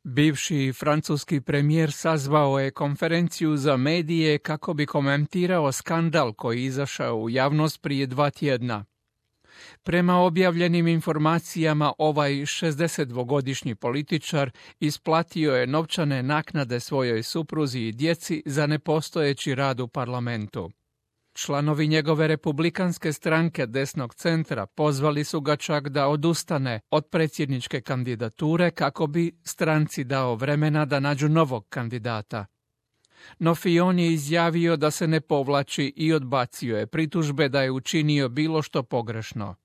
Bivši francuski premijer sazvao je konferenciju za medije kako bi komentirao skandal koji je izašao u javnost prije 2 tjedna. Prema objavljenim informacijama, ovaj 62-godišnji političar isplatio je novčane naknade svojoj supruzi i djeci za nepostojeći rad u parlamentu. Članovi njegove republikanske stranke desnog centra pozvali su ga čak da odustane od predsjedničke kandidature kako bi stranci dao vremena da nađu novog kandidata. No Fillon je izjavio da se ne povlači i odbacio je pritužbe da je učinio bilo što pogrešno.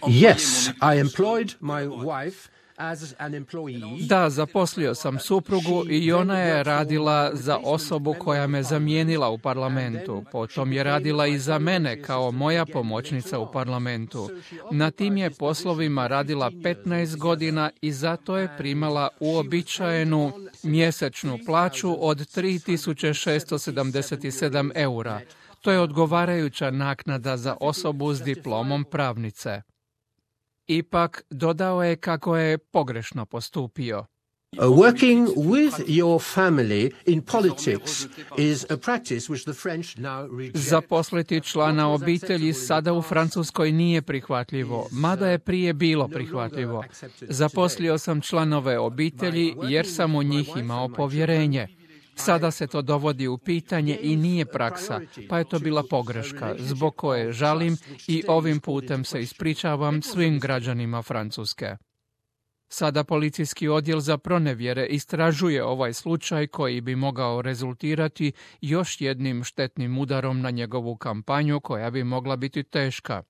Yes, I employed my wife as an employee. Da, zaposlio sam suprugu i ona je radila za osobu koja me zamijenila u parlamentu. Potom je radila i za mene kao moja pomoćnica u parlamentu. Na tim je poslovima radila 15 godina i zato je primala uobičajenu mjesečnu plaću od 3677 eura. To je odgovarajuća naknada za osobu s diplomom pravnice. Ipak dodao je kako je pogrešno postupio. Working with your family in politics is a practice which the French now reject. Zaposliti člana obitelji sada u Francuskoj nije prihvatljivo, mada je prije bilo prihvatljivo. Zaposlio sam članove obitelji jer sam u njih imao povjerenje. Sada se to dovodi u pitanje i nije praksa, pa je to bila pogreška, zbog koje žalim i ovim putem se ispričavam svim građanima Francuske. Sada policijski odjel za pronevjere istražuje ovaj slučaj koji bi mogao rezultirati još jednim štetnim udarom na njegovu kampanju koja bi mogla biti teška.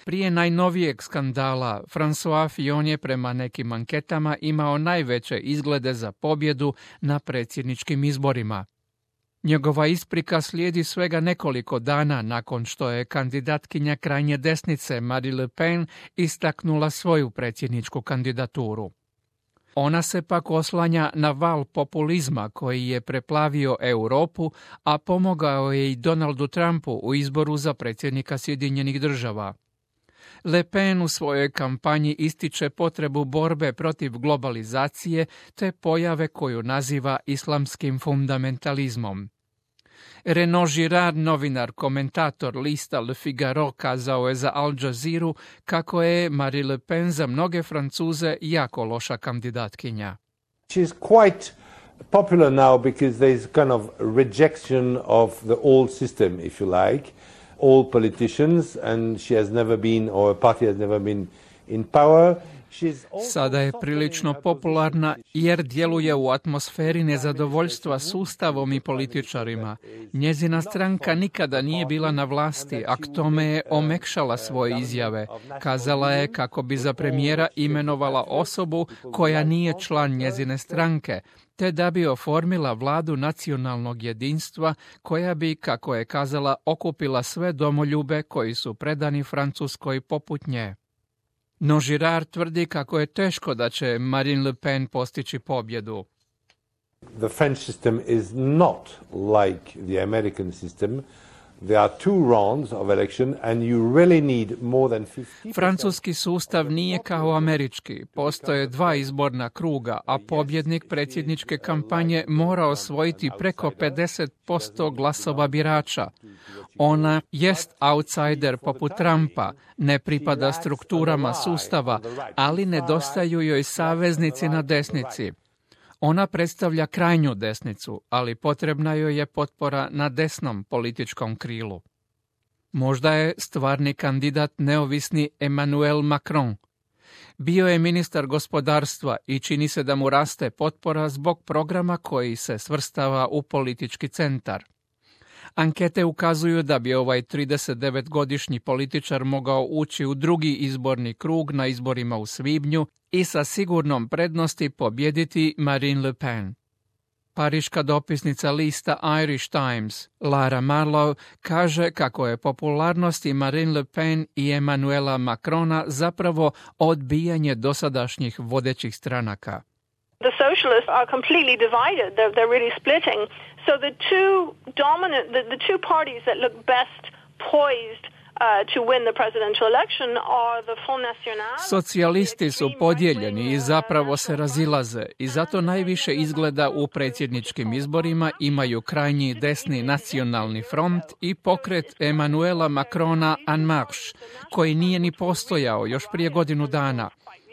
Prije najnovijeg skandala, François Fillon je prema nekim anketama imao najveće izglede za pobjedu na predsjedničkim izborima. Njegova isprika slijedi svega nekoliko dana nakon što je kandidatkinja krajnje desnice Marine Le Pen istaknula svoju predsjedničku kandidaturu. Ona se pak oslanja na val populizma koji je preplavio Europu, a pomogao je i Donaldu Trumpu u izboru za predsjednika Sjedinjenih Država. Le Pen u svojoj kampanji ističe potrebu borbe protiv globalizacije te pojave koju naziva islamskim fundamentalizmom. Renaud Girard, novinar, komentator lista Le Figaro, kazao je za Al Jazeera kako je Marine Le Pen za mnoge Francuze jako loša kandidatkinja. She's quite popular now because there is kind of rejection of the old system, if you like. All politicians, and she has never been, or a party has never been in power. Sada je prilično popularna jer djeluje u atmosferi nezadovoljstva sustavom i političarima. Njezina stranka nikada nije bila na vlasti, a k tome je omekšala svoje izjave. Kazala je kako bi za premijera imenovala osobu koja nije član njezine stranke, te da bi oformila vladu nacionalnog jedinstva koja bi, kako je kazala, okupila sve domoljube koji su predani Francuskoj poput nje. No Girard tvrdi kako je teško da će Marine Le Pen postići pobjedu. The French system is not like the American system. There are 2 rounds of election and you really need more than 50%. Francuski sustav nije kao američki. Postoje 2 izborna kruga, a pobjednik predsjedničke kampanje mora osvojiti preko 50% glasova birača. Ona jest outsider poput Trumpa, ne pripada strukturama sustava, ali nedostaju joj saveznici na desnici. Ona predstavlja krajnju desnicu, ali potrebna joj je potpora na desnom političkom krilu. Možda je stvarni kandidat neovisni Emmanuel Macron. Bio je ministar gospodarstva i čini se da mu raste potpora zbog programa koji se svrstava u politički centar. Ankete ukazuju da bi ovaj 39-godišnji političar mogao ući u drugi izborni krug na izborima u svibnju i sa sigurnom prednosti pobijediti Marine Le Pen. Pariška dopisnica lista Irish Times, Lara Marlowe, kaže kako je popularnosti Marine Le Pen i Emmanuela Macrona zapravo odbijanje dosadašnjih vodećih stranaka. The socialists are completely divided. They're really splitting. So the two dominant, the two parties that look best poised to win the presidential election are the Front National. Socijalisti su podijeljeni i zapravo se razilaze i zato najviše izgleda u predsjedničkim izborima imaju krajnji desni nacionalni front i pokret Emmanuela Macrona En Marche, koji nije ni postojao još prije godinu dana.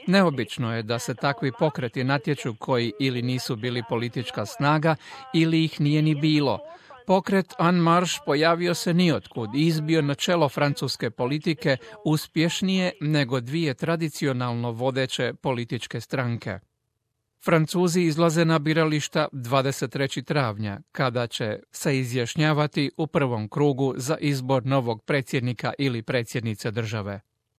Neobično je da se takvi pokreti natječu koji ili nisu bili politička snaga ili ih nije ni bilo. Pokret En Marche pojavio se niotkud i izbio na čelo francuske politike uspješnije nego dvije tradicionalno vodeće političke stranke. Francuzi izlaze na birališta 23. travnja, kada će se izjašnjavati u prvom krugu za izbor novog predsjednika ili predsjednice države.